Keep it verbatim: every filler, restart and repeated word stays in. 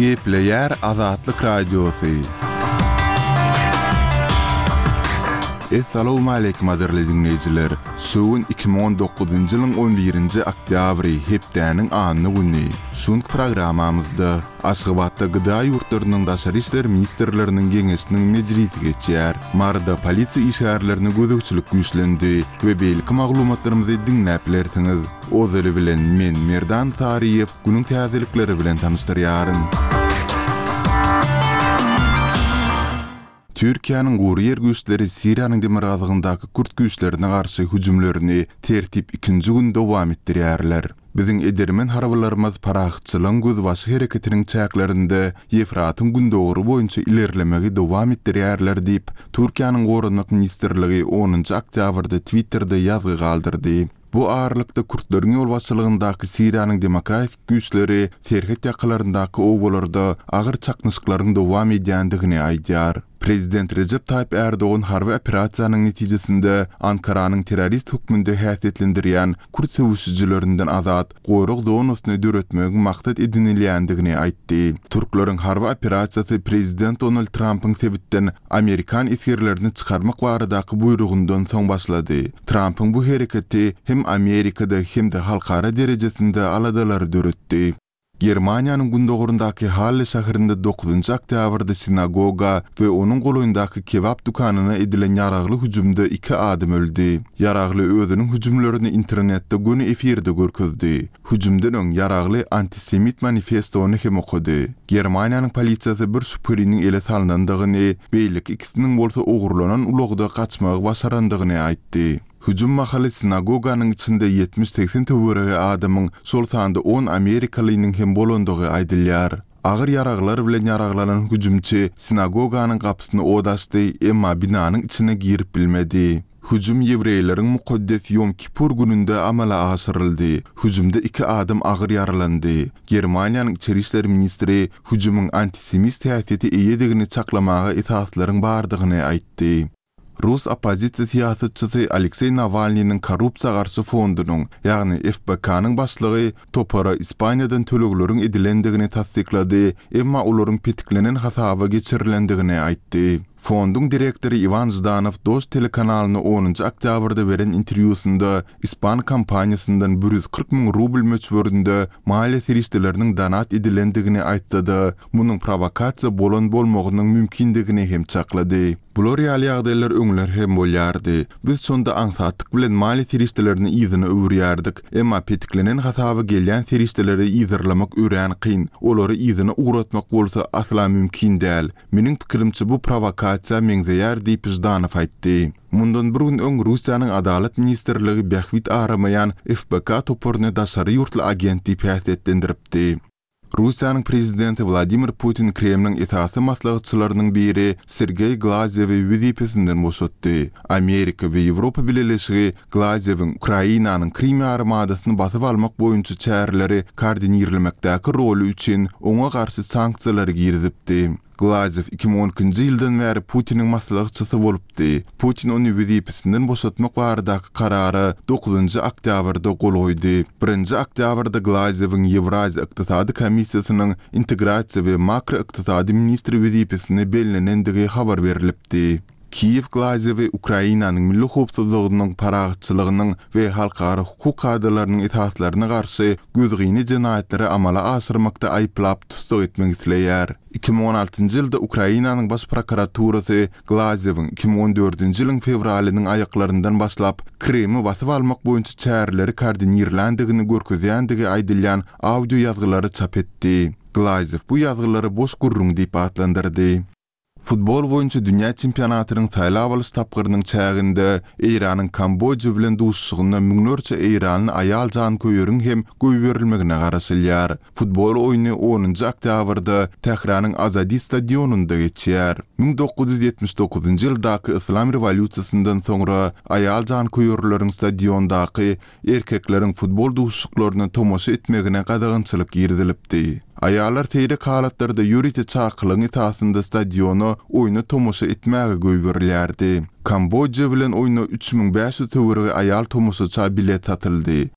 Gepleýär Azatlyk Radiosy. Essalawmaleýkim gadyrly diňleýjiler! Şu gün iki müň on dokuzynjy ýylyň on birinji oktýabry, hepdäniň anna güni. Şu günki programmamyzda Aşgabatda G D A ýurtlarynyň daşary işler ministrleriniň geňeşiniň mejlisi geçýär. Maryda polisiýa işgärlerine gözegçilik güýçlendi we beýleki maglumatlarymyzy diňläp bilersiňiz. Ozaly bilen men Merdan Saryýew günüň täzelikleri bilen tanyşdyrýaryn. Türkiýäniň gury ýer güýçleri Siriýanyň demirgazygyndaky kürt güýçlerine garşy hüjümlerini tertip ikinji gün dowam etdirýärler. Biziň edermen harbylarymyz parahatçylygyň gözbaşy hereketiniň çäklerinde Ýefratyň gündogary boýunça ilerlemegi dowam etdirýärler diýip, Türkiýäniň Goranmak ministrligi onunjy oktýabrda Twitterде ýazgy galdyrdy. Bu aralykda kürtleriň ýolbaşçylygyndaky Siriýanyň demokratik güýçleri serhet ýakalaryndaky obalarda agyr çaknyşyklaryň dowam edýändigini aýdýar. Prezident Rejep Taýyp Erdogan harby operasiýanyň netijesinde Ankaranyň terrorist hökmünde häsiýetlendirýän kürt söweşijilerinden azat gorag zonasyny döretmegiň maksat edinilýändigini aýtdy. Türkleriň harby operasiýasy Prezident Donald Trumpyň sebitden Amerikan esgerlerini çykarmak baradaky buýrugyndan soň başlady. Trumpyň bu hereketi hem Amerikada hem-de halkara derejesinde aladalary döretdi. Germaniýanyň gündogurundaky Halle şäherinde dokuzynjy oktýabrda sinagoga we onuň golaýyndaky kebap dükanyna edilen ýaragly hüjümde iki adam öldi. Ýaragly özüniň hüjümlerini internetde göni efirde görkezdi. Hüjümden öň ýaragly antisemit manifestony hem okady. Germaniýanyň polisiýasy bir şübheliniň ele salnandygyny, beýleki ikisiniň bolsa ogurlanan ulagda gaçmagy başarandygyny aýtdy. Hüjüm mahaly sinagoganyň içinde ýetmiş-segsen töweregi adamyň, şol sanda on amerikalynyň hem bolandygy aýdylýar. Agyr ýaraglar bilen ýaraglanan hüjümçi sinagoganyň gapysyny od açdy, emma binanyň içine girip bilmedi. Hüjüm ýewreýleriň mukaddes Ýom Kipur gününde amala aşyryldy. Hüjümde iki adam agyr ýaralandy. Germaniýanyň içeri işler ministri hüjümiň antisemist häsiýeti eýedigini çaklamaga esaslaryň bardygyny aýtdy. Rus oppozisiýa syýasatçysy Alekseý Nawalnynyň korrupsiýa garşy fondunyň, ýagny F B K-nyň başlygy topara Ispaniýadan tölegleriň edilendigini tassyklady, emma olaryň petiklenen hasaba geçirilendigini aýtdy. Fonduň direktory Iwan Ždanow Dož telekanalyna onunjy oktýabrda beren interwýusynda Ispan kompaniýasyndan bir ýüz kyrk müň rubl möçberinde maliýe serişdeleriniň donat edilendigini aýtsa-da, munuň provokasiýa bolan bolmagynyň mümkindigini hem çaklady. Bular ýaly ýagdaýlar öňler hem bolýardy. Biz şonda aňsatlyk bilen maliýe serişdelerini yzyna öwürýärdik. Emma petiklenen hasaba gelýän serişdeleri yzarlamak örän kyn. Olary yzyna ugratmak bolsa asla mümkin däl. Meniň pikirimçe bu provokasiýa meňzeýär diýip Ždanow aýtdy. Mundan bir gün öň Russiýanyň Adalat ministrligi bähbit aramaýan F B K toparyny daşary ýurtly agent diýip häsiýetlendiripdi. Russiýanyň prezidenti Wladimir Putin Kremliň esasy maslahatçylarynyň biri Sergey Glazyewi wezipesinden boşatdy. Amerika we Ýewropa Bileleşigi Glazyewiň Ukrainanyň Krim ýarymadasyny basyp almak boýunça çäreleri koordinirlemekdäki roly üçin oňa garşy sanksiýalary girizipdi. Glazyew iki müň on ikinji ýyldan bäri Putiniň maslahatçysy bolupdy. Putin ony wezipesinden boşatmak baradaky karara dokuzynjy oktýabrda gol goýdy. Birinji oktýabrda Glazyewiň Ýewraziýa Ykdysady Komissiýasynyň integrasiýa we makroykdysady ministri wezipesine bellenendigi habar berilipdi. Kiýew Glazyewi Ukrainanyň milli howpsuzlygynyň, parahatçylygynyň we halkara hukuk kadalarynyň esaslaryna garşy gözgyny jenaýatlary amala aşyrmakda aýyplap tussag etmek isleýär. iki müň on altynjy ýylda Ukrainanyň baş prokuraturasy Glazyewiň iki müň on dördünji ýylyň fewralynyň aýaklaryndan başlap Krimi basyp almak boýunça çäreleri koordinirländigini görkezýändigi aýdylýan audio ýazgylary çap etdi. Glazyew bu ýazgylary boş gürrüň diýip atlandyrdy. Futbol boýunça dünýä çempionatynyň saýlap alyş tapgyrynyň çäginde Eýranyň Kambodja bilen duşuşygynda müňlerçe eýranly aýal janköýeriň hem goýberilmegine garaşylýar. Futbol oýny onunjy oktýabrda Tähranyň Azadi stadionynda geçýär. Müň dokuz ýüz ýetmiş dokuzynjy ýyldaky Islam rewolýusiýasyndan soňra aýal janköýerleriň stadiondaky erkekleriň futbol duşuşyklaryna tomaşa etmegine gadagançylyk girizilipdi. Aýallar seýrek halatlarda ýörite çakylygyň esasynda stadiona oýna tomaşa etmäge goýberilýärdi. Kambodja bilen oýna üç müň bäş ýüz töweregi aýal tomaşaça bilet satyldy.